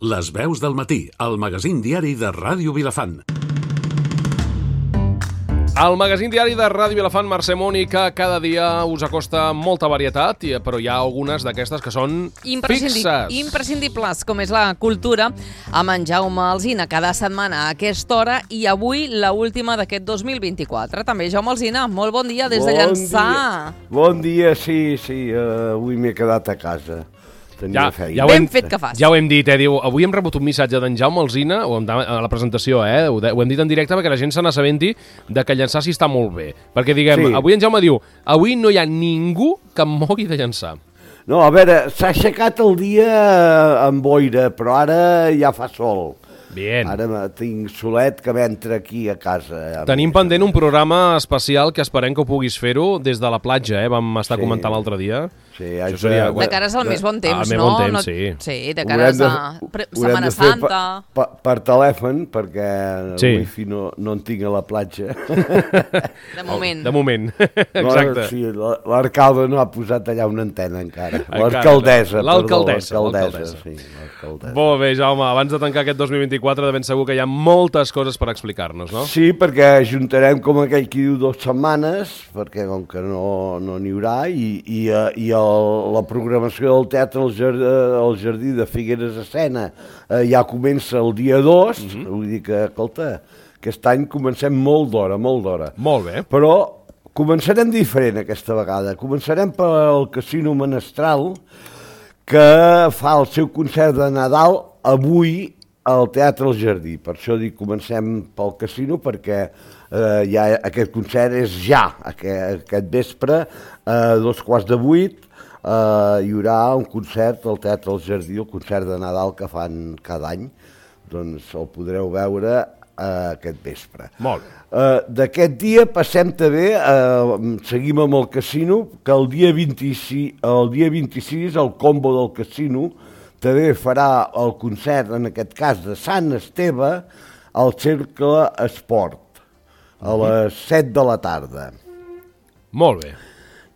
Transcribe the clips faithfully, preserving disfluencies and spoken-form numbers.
Les veus del matí, el magazín diari de Ràdio Vilafant. El magazín diari de Ràdio Vilafant, Mercè Moni, que cada dia us acosta molta varietat, però hi ha algunes d'aquestes que són Imprescindi fixes. Imprescindibles, com és la cultura, amb en Jaume Alsina cada setmana a aquesta hora, i avui la última d'aquest dos mil vint-i-quatre. També Jaume Alsina, molt bon dia des de bon Llançà. Dia. Bon dia, sí, sí, uh, avui m'he quedat a casa. Ja, ja ben hem, fet que fas. Ja ho hem dit, eh? Diu, avui hem rebut un missatge d'en Jaume Alsina, o a la presentació, eh? Ho, de, ho hem dit en directe perquè la gent se n'assabenti de que Llançà sí està molt bé. Perquè diguem, sí. Avui en Jaume diu, avui no hi ha ningú que em mogui de Llançà. No, a veure, s'ha aixecat el dia amb boira, però ara ja fa sol. Bien. Ara tinc solet que m'entra aquí a casa. Ja Tenim pendent un programa especial que esperem que ho puguis fer-ho des de la platja, eh? Vam estar sí. comentant l'altre dia. Sí, això seria... De cares al més bon temps, ah, no? Bon temps, no? sí. Sí, de cares de, a Setmana Santa. Per, per, per telèfon, perquè sí. el wifi no, no en tinc a la platja. De moment. Oh, de moment, exacte. No, sí, l'alcalde no ha posat allà una antena encara. encara l'alcaldessa. L'alcaldessa. L'alcaldessa, sí. L'alcaldessa. Molt bé, Jaume, abans de tancar aquest dos mil vint-i-quatre de ben segur que hi ha moltes coses per explicar-nos, no? Sí, perquè juntarem, com aquell qui diu, dues setmanes, perquè com que no n'hi no haurà, i, i, i el, la programació del Teatre al Jardí, al Jardí de Figueres a Sena eh, ja comença el dia dos, uh-huh. vull dir que, escolta, aquest any comencem molt d'hora, molt d'hora. Molt bé. Però començarem diferent aquesta vegada. Començarem pel Casino Menestral, que fa el seu concert de Nadal avui al Teatre al Jardí. Per això dic comencem pel casino, perquè eh, ja aquest concert és ja, aquest, aquest vespre, a eh, dos quarts de vuit, eh, hi haurà un concert al Teatre al Jardí, el concert de Nadal que fan cada any, doncs el podreu veure eh, aquest vespre. Molt bé. Uh, d'aquest dia passem també, uh, seguim amb el casino, que el dia vint-i-sis, el dia vint-i-sis el combo del casino també farà el concert, en aquest cas de Sant Esteve, al Cercle Esport, a les set de la tarda. Molt bé.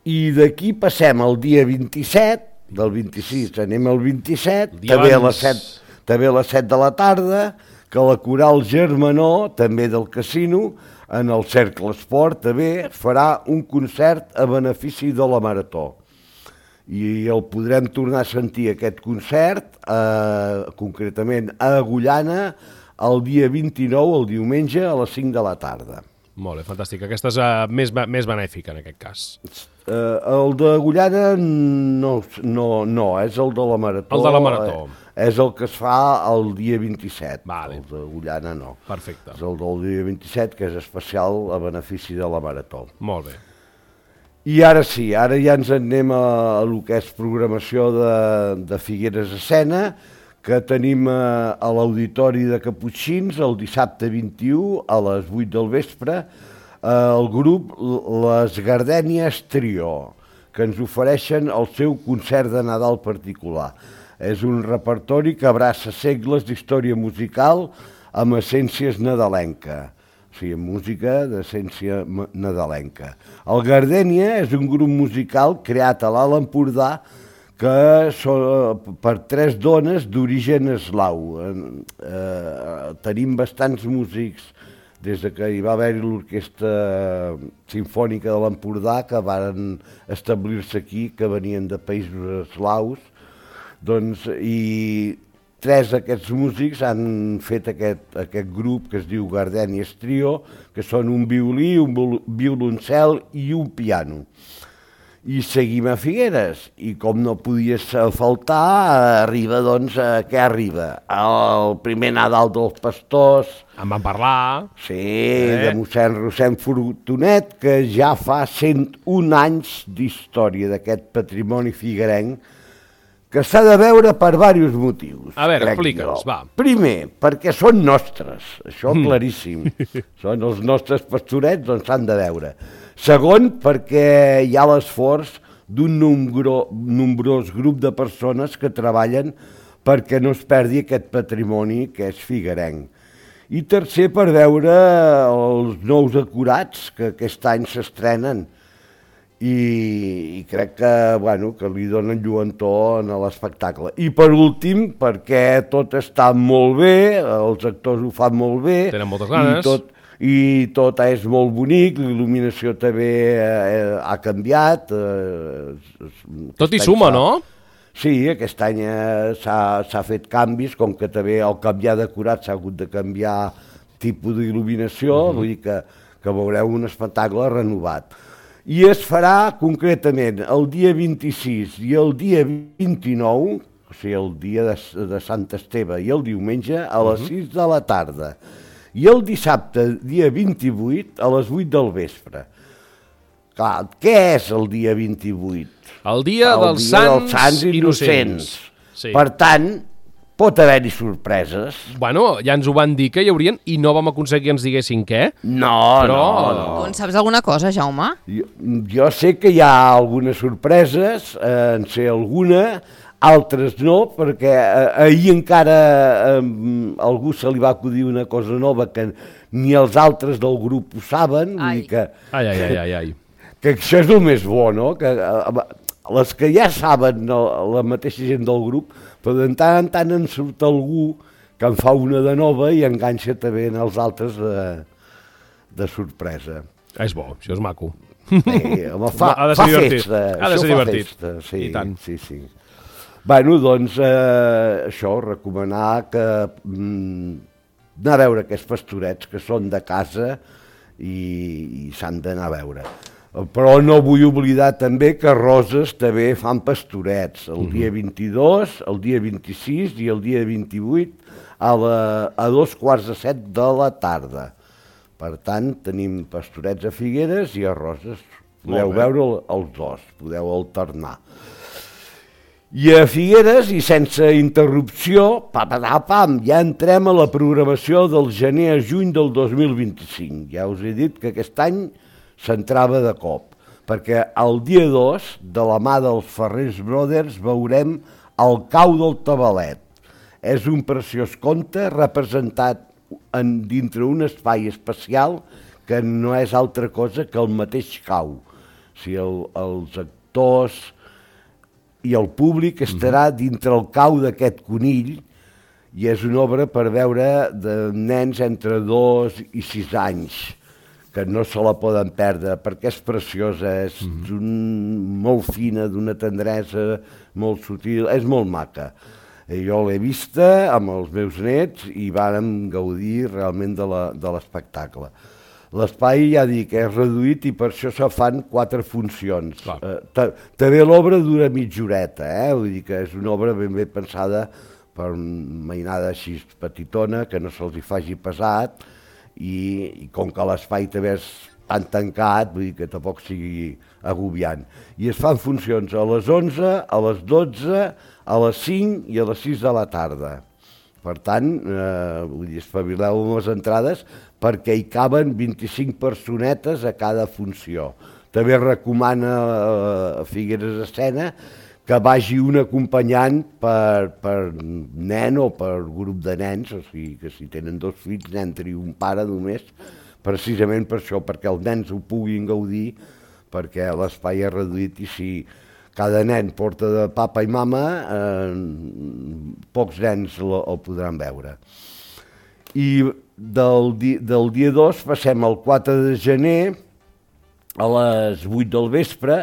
I d'aquí passem al dia vint-i-set, del vint-i-sis anem al vint-i-set, també a, les set, també a les set de la tarda, que la Coral Germanó, també del casino, en el Cercle Esport, també farà un concert a benefici de la Marató. I el podrem tornar a sentir, aquest concert, eh, concretament a Agullana, el dia vint-i-nou, el diumenge, a les cinc de la tarda. Molt bé, fantàstic. Aquesta és uh, més, més benèfica, en aquest cas. Uh, el d'Agullana no, no, no, és el de la Marató. El de la Marató. Eh, és el que es fa el dia vint-i-set. Vale. El d'Agullana no. Perfecte. És el del dia vint-i-set, que és especial a benefici de la Marató. Molt bé. I ara sí, ara ja ens anem a, a el que és programació de, de Figueres a Sena, que tenim a, a l'Auditori de Caputxins el dissabte vint-i-u a les vuit del vespre, eh, el grup Les Gardènies Trio, que ens ofereixen el seu concert de Nadal particular. És un repertori que abraça segles d'història musical amb essències nadalenca. O sigui, música d'essència nadalenca. El Gardènia és un grup musical creat a l'Alt Empordà que són per tres dones d'origen eslau. Eh, tenim bastants músics des de que hi va haver l'Orquestra Simfònica de l'Empordà, que van establir-se aquí, que venien de països eslaus, doncs, i tres d'aquests músics han fet aquest, aquest grup que es diu Gardènies Trio, que són un violí, un violoncel i un piano. I seguim a Figueres, i com no podia faltar, arriba, doncs, a què arriba? El primer Nadal dels Pastors. En van parlar. Sí, eh? De mossèn Rossend Fortunet, que ja fa cent un anys d'història d'aquest patrimoni figuerenc, que s'ha de veure per diversos motius. A veure, explica'ns, va. Primer, perquè són nostres, això claríssim. Són els nostres pastorets, doncs s'han de veure. Segon, perquè hi ha l'esforç d'un nombro, nombrós grup de persones que treballen perquè no es perdi aquest patrimoni que és figuerenc. I tercer, per veure els nous acurats que aquest any s'estrenen. i, i crec que, bueno, que li donen lluentor a l'espectacle. I per últim, perquè tot està molt bé, els actors ho fan molt bé, tenen moltes ganes, i tot, i tot és molt bonic, l'il·luminació també eh, ha canviat. Eh, tot hi suma, no? Sí, aquest any eh, s'ha fet canvis, com que també el canviar decorat s'ha hagut de canviar tipus d'il·luminació, uh-huh. vull dir que, que veureu un espectacle renovat. I es farà concretament el dia vint-i-sis i el dia vint-i-nou, o sigui, el dia de, de Sant Esteve i el diumenge, a les uh-huh. sis de la tarda. I el dissabte, dia vint-i-vuit, a les vuit del vespre. Clar, què és el dia vint-i-vuit? El dia, el dels, dia sants dels sants innocents. Sí. Per tant, pot haver-hi sorpreses. Bueno, ja ens ho van dir que hi haurien i no vam aconseguir que ens diguessin què. No, Però... no, no. Tu en saps alguna cosa, Jaume? Jo, jo sé que hi ha algunes sorpreses, eh, en sé alguna, altres no, perquè eh, ahir encara eh, algú se li va acudir una cosa nova que ni els altres del grup ho saben. Vull dir que... Ai, ai, ai, ai, ai. Que això és el més bo, no? Que, les que ja saben la mateixa gent del grup, però de tant en tant en surt algú que en fa una de nova i enganxa també en els altres de, de sorpresa. És bo, això és maco. Sí, home, fa, fa festa. Ha de ser divertit. Festa, sí, I tant. Sí, sí. Bueno, doncs, eh, això, recomanar que mm, anar a veure aquests pastorets que són de casa i, i s'han d'anar a veure. Però no vull oblidar també que Roses també fan pastorets el dia vint-i-dos, el dia vint-i-sis i el dia vint-i-vuit a, la, a dos quarts de set de la tarda. Per tant, tenim pastorets a Figueres i a Roses. Podeu veure els dos, podeu alternar. I a Figueres, i sense interrupció, pam, pam, ja entrem a la programació del gener a juny del dos mil vint-i-cinc. Ja us he dit que aquest any s'entrava de cop, perquè el dia dos, de la mà dels Ferrers Brothers, veurem El cau del tabalet. És un preciós conte representat en, dintre un espai especial que no és altra cosa que el mateix cau. O sigui, el, els actors i el públic estarà dintre el cau d'aquest conill i és una obra per veure de nens entre dos i sis anys, que no se la poden perdre, perquè és preciosa, és mm-hmm. molt fina, d'una tendresa molt sutil, és molt maca. Jo l'he vista amb els meus nets i vàrem gaudir realment de l'espectacle. L'espai, ja dic, és reduït i per això se fan quatre funcions. Eh, també l'obra dura mitja horeta, eh? Vull dir que és una obra ben bé pensada per una mainada així petitona, que no se'ls hi faci pesat, I, i com que l'espai també és tan tancat, vull dir que tampoc sigui agobiant. I es fan funcions a les onze, a les dotze, a les cinc i a les sis de la tarda. Per tant, eh, vull dir, espavileu amb les entrades perquè hi caben vint-i-cinc personetes a cada funció. També recomana a Figueres Escena que vagi un acompanyant per, per nen o per grup de nens, o sigui que si tenen dos fills n'entri un pare només, precisament per això, perquè els nens ho puguin gaudir, perquè l'espai és reduït i si cada nen porta de papa i mama, eh, pocs nens el, el podran veure. I del, di, del dia dos passem al quatre de gener a les vuit del vespre,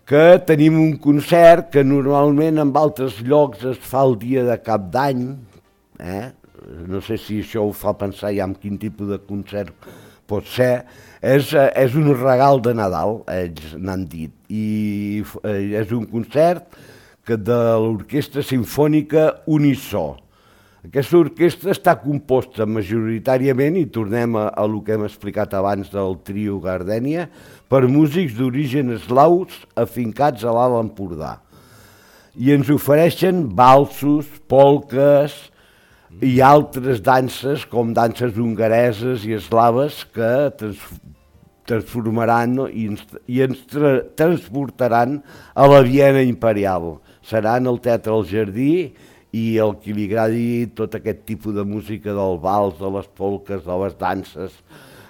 que tenim un concert que normalment en altres llocs es fa el dia de cap d'any. Eh? No sé si això ho fa pensar ja en quin tipus de concert pot ser. És, és un regal de Nadal, ells n'han dit. I és un concert que de l'Orquestra Simfònica Unisó. Aquesta orquestra està composta majoritàriament, i tornem a, a el que hem explicat abans del trio Gardènia, per músics d'origen eslaus afincats a l'Alt Empordà. I ens ofereixen valsos, polques i altres danses, com danses hongareses i eslaves, que trans, transformaran no? i ens, i ens tra, transportaran a la Viena imperial. Seran al Teatre El Jardí, i el que li agradi tot aquest tipus de música del vals, de les polques, de les danses,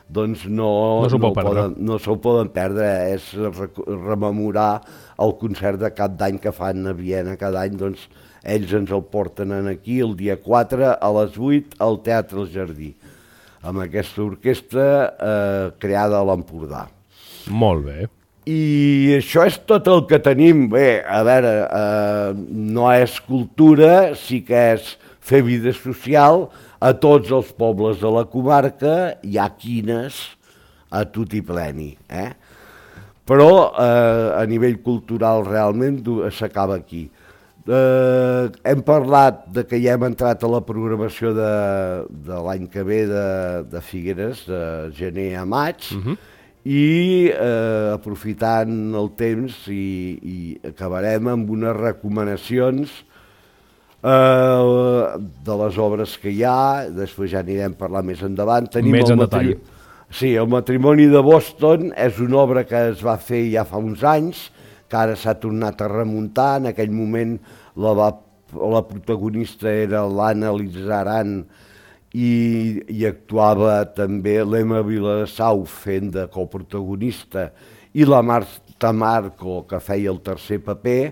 doncs no, no s'ho no, poden, no s'ho poden perdre. És rememorar el concert de cap d'any que fan a Viena cada any, doncs ells ens el porten aquí el dia quatre a les vuit al Teatre El Jardí, amb aquesta orquestra eh, creada a l'Empordà. Molt bé. I això és tot el que tenim. Bé, a veure, eh, no és cultura, sí que és fer vida social. A tots els pobles de la comarca hi ha quines a tutti pleni, eh? Però eh, a nivell cultural realment s'acaba aquí. Eh, hem parlat de que ja hem entrat a la programació de, de l'any que ve de, de Figueres, de gener a maig, uh-huh. i eh, aprofitant el temps i, i acabarem amb unes recomanacions eh, de les obres que hi ha, després ja anirem a parlar més endavant. Tenim més en matri... detall. Sí, el matrimoni de Boston és una obra que es va fer ja fa uns anys, que ara s'ha tornat a remuntar. En aquell moment la, va, la protagonista era l'Anna Lizaran i, i actuava també l'Emma Vilassau fent de coprotagonista i la Marta Marco, que feia el tercer paper.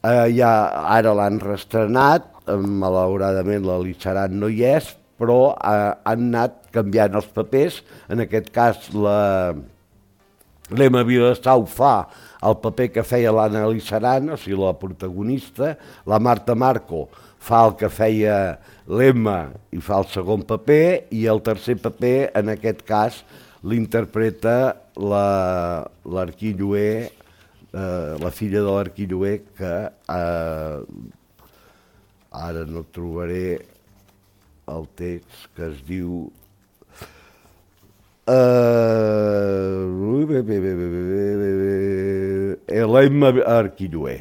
Eh, ja, ara l'han reestrenat, malauradament la Lizaran no hi és, però eh, han anat canviant els papers. En aquest cas la l'Emma Vilassau fa el paper que feia l'Anna Lizaran, o sigui, la protagonista. La Marta Marco fa el que feia l'Emma i fa el segon paper, i el tercer paper, en aquest cas, l'interpreta l'Arquilloé, eh, la filla de l'Arquilloé, que eh, ara no trobaré el text, que es diu l'Emma Arquilloé.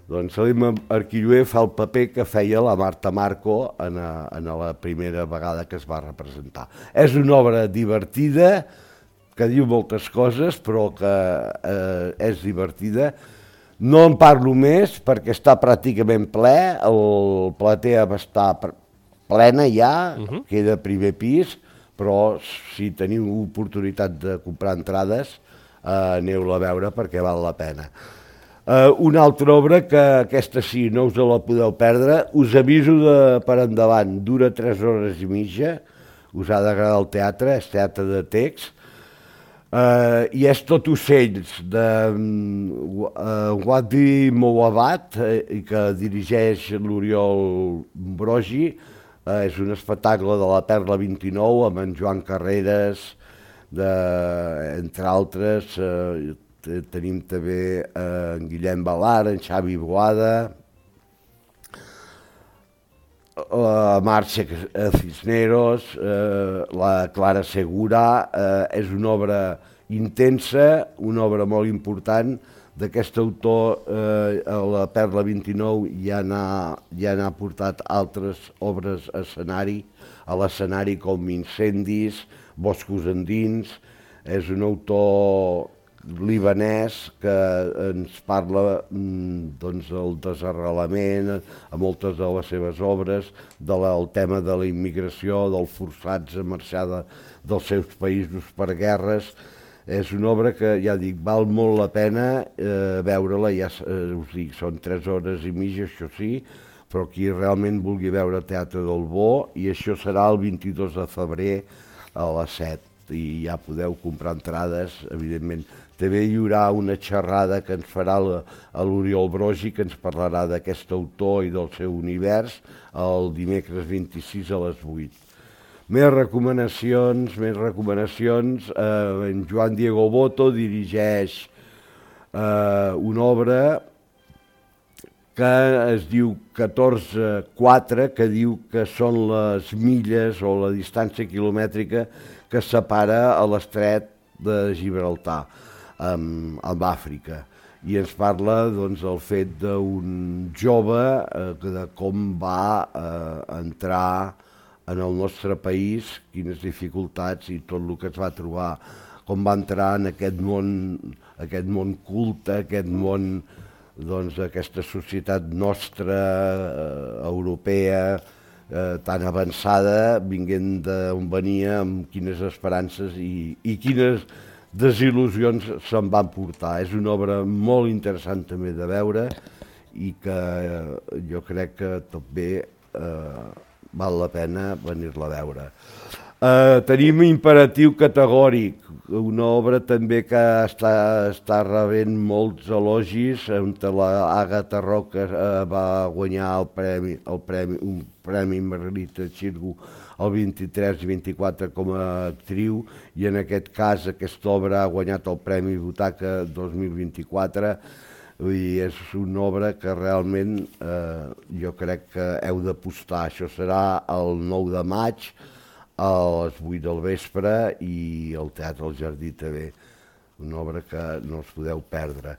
Doncs l'Emma Arquilloé fa el paper que feia la Marta Marco en, a, en la primera vegada que es va representar. És una obra divertida, que diu moltes coses, però que eh, és divertida. No en parlo més perquè està pràcticament ple, el platea va estar plena ja, uh-huh. queda primer pis, però si teniu oportunitat de comprar entrades, eh, aneu-la a veure perquè val la pena. Eh, una altra obra que aquesta sí, no us la podeu perdre, us aviso de, per endavant, dura tres hores i mitja, us ha d'agradar el teatre, és teatre de text, eh, i és tot ocells de uh, Wadi Mouabat, eh, que dirigeix l'Oriol Brogi. Uh, és un espectacle de la Perla vint-i-nou amb en Joan Carreras, de, entre altres. Uh, tenim també uh, en Guillem Balar, en Xavi Boada, la Marxa Cisneros, uh, la Clara Segura. Uh, és una obra intensa, una obra molt important. D'aquest autor, eh, a la Perla vint-i-nou ja n'ha ja n'ha portat altres obres a escenari, a l'escenari com Incendis, Boscos endins. És un autor libanès que ens parla doncs, del desarrelament a moltes de les seves obres, del tema de la immigració, dels forçats a marxar de, dels seus països per guerres. És una obra que, ja dic, val molt la pena eh, veure-la, ja eh, us dic, són tres hores i mitja, això sí, però qui realment vulgui veure Teatre del Bo, i això serà el vint-i-dos de febrer a les set, i ja podeu comprar entrades, evidentment. També hi haurà una xerrada que ens farà l'Oriol Brogi, que ens parlarà d'aquest autor i del seu univers, el dimecres vint-i-sis a les vuit. Més recomanacions, més recomanacions. Eh, en Joan Diego Boto dirigeix eh, una obra que es diu catorze quatre, que diu que són les milles o la distància quilomètrica que separa a l'estret de Gibraltar amb, amb Àfrica. I ens parla doncs, del fet d'un jove eh, de com va eh, entrar en el nostre país, quines dificultats i tot el que es va trobar, com va entrar en aquest món, aquest món culte, aquest món, doncs, aquesta societat nostra, eh, europea, eh, tan avançada, vinguent d'on venia, amb quines esperances i, i quines desil·lusions se'n van portar. És una obra molt interessant també de veure i que eh, jo crec que també eh, val la pena venir-la a veure. Uh, tenim Imperatiu categòric, una obra també que està, està rebent molts elogis, on la Àgata Roca uh, va guanyar el premi, el premi, un premi Margarita Xirgu el vint-i-tres i vint-i-quatre com a actriu, i en aquest cas aquesta obra ha guanyat el Premi Butaca dos mil vint-i-quatre. Vull dir, és una obra que realment eh, jo crec que heu d'apostar. Això serà el nou de maig, a les vuit del vespre, i el Teatre al Jardí també, una obra que no us podeu perdre.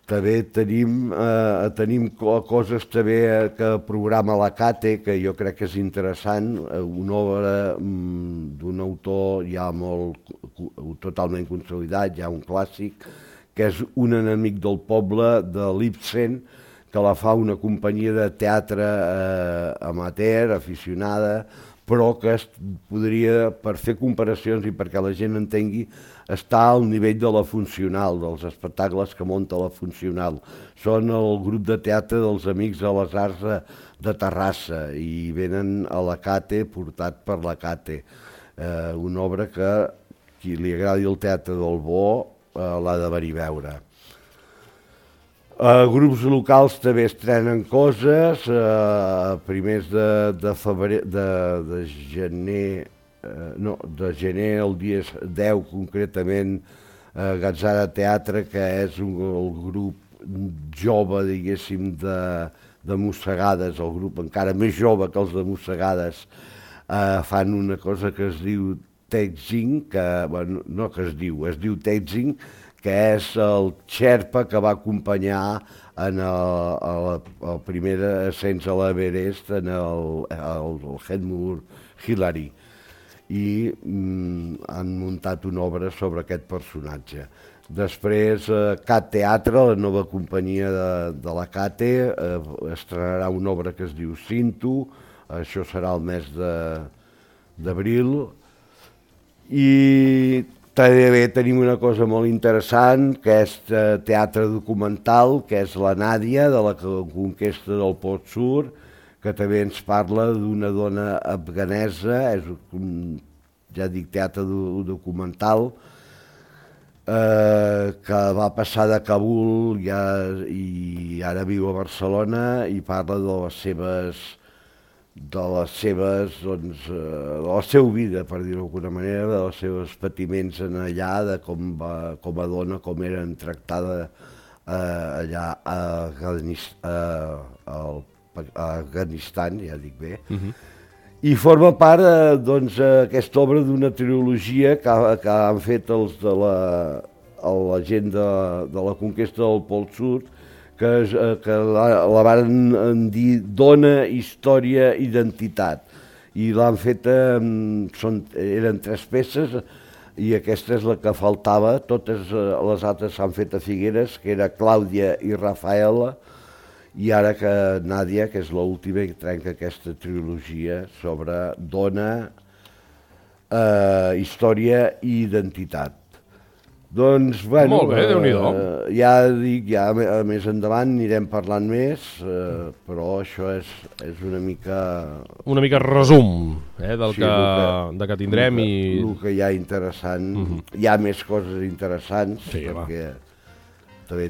També tenim, eh, tenim coses també que programa la Cate, que jo crec que és interessant, una obra mm, d'un autor ja molt, totalment consolidat, ja un clàssic, que és Un enemic del poble, de l'Ibsen, que la fa una companyia de teatre eh, amateur, aficionada, però que es podria, per fer comparacions i perquè la gent entengui, està al nivell de la Funcional, dels espectacles que munta la Funcional. Són el grup de teatre dels Amics de les Arts de, de Terrassa i venen a la Cate, portat per la Cate. Eh, una obra que qui li agradi el teatre del bo eh, l'ha de venir a veure. Uh, grups locals també estrenen coses, uh, primers de, de, febrer, de, de gener, uh, no, de gener, el dia deu concretament, uh, Gatzara Teatre, que és un, el grup jove, diguéssim, de, de Mossegades, el grup encara més jove que els de Mossegades, uh, fan una cosa que es diu Teixing, que, bueno, no que es diu, es diu Teixing, que és el xerpa que va acompanyar en el, el, el primer ascens a l'Everest, en el, el, el Hedmore Hillary, i mm, han muntat una obra sobre aquest personatge. Després, eh, Cat Teatre, la nova companyia de, de la Cate, eh, estrenarà una obra que es diu Cinto, això serà el mes d'abril, i també tenim una cosa molt interessant, que és teatre documental, que és la Nàdia, de la conquesta del Pol Sud, que també ens parla d'una dona afganesa, és un, ja dic, teatre documental, eh, que va passar de Kabul ja, i ara viu a Barcelona i parla de les seves de les seves, doncs, de la seva vida, per dir-ho d'alguna manera, de els seus patiments en allà, de com, va, com a dona, com eren tractada eh, allà a, Afganist, a, a Afganistan, ja dic bé. Uh-huh. I forma part, eh, doncs, aquesta obra d'una trilogia que, que han fet els de la, la gent de, de la conquesta del Pol Sud, que, que la, la van dir Dona, Història, Identitat. I l'han fet, són, eren tres peces, i aquesta és la que faltava. Totes les altres s'han fet a Figueres, que era Clàudia i Rafaela, i ara que Nàdia, que és l'última, trenca aquesta trilogia sobre Dona, eh, Història i Identitat. Doncs, bueno, molt bé, Déu-n'hi-do. Eh, ja dic, ja més endavant anirem parlant més, eh, però això és, és una mica... Una mica resum eh, del sí, que, que, de que tindrem el que, i... El que hi ha interessant, uh-huh. Hi ha més coses interessants, sí, perquè...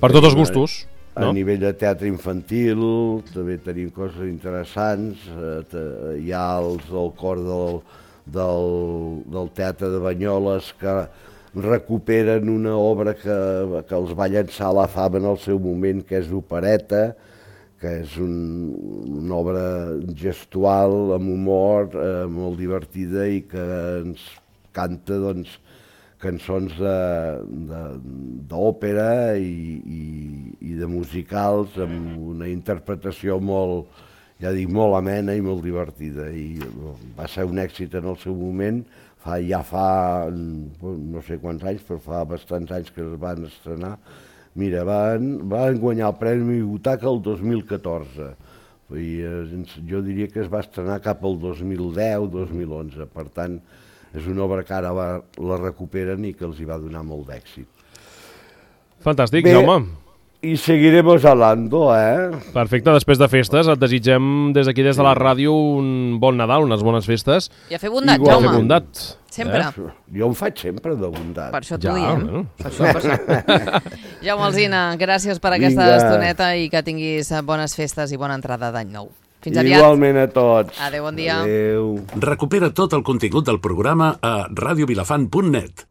Per tots els gustos, a, no? A nivell de teatre infantil també tenim coses interessants, eh, hi ha els del cor del, del, del teatre de Banyoles que recuperen una obra que, que els va llançar a la fama en el seu moment, que és Opereta, que és un, una obra gestual, amb humor, eh, molt divertida i que ens canta, doncs, cançons d'òpera i, i, i de musicals amb una interpretació molt, ja dic, molt amena i molt divertida. I va ser un èxit en el seu moment. Fa, ja fa, no sé quants anys, però fa bastants anys que es van estrenar. Mira, van, van guanyar el Premi Butaca el dos mil catorze I, eh, jo diria que es va estrenar cap al dos mil deu dos mil onze, per tant, és una obra que ara va, la recuperen i que els hi va donar molt d'èxit. Fantàstic, Bé, Jaume. I seguiremos hablando, eh? Perfecte, després de festes, et desitgem des d'aquí, des de la ràdio, un bon Nadal, unes bones festes. I a fer bondat, Igual. Jaume. A fer bondat. Sempre. Eh? Jo ho faig sempre de bondat. Per això t'ho Ja, diem. bueno. Per això, per això. Jaume Alsina, gràcies per aquesta Vinga. estoneta i que tinguis bones festes i bona entrada d'any nou. Fins aviat. Igualment a tots. Adéu, bon dia. Adéu. Recupera tot el contingut del programa a radiovilafant punt net.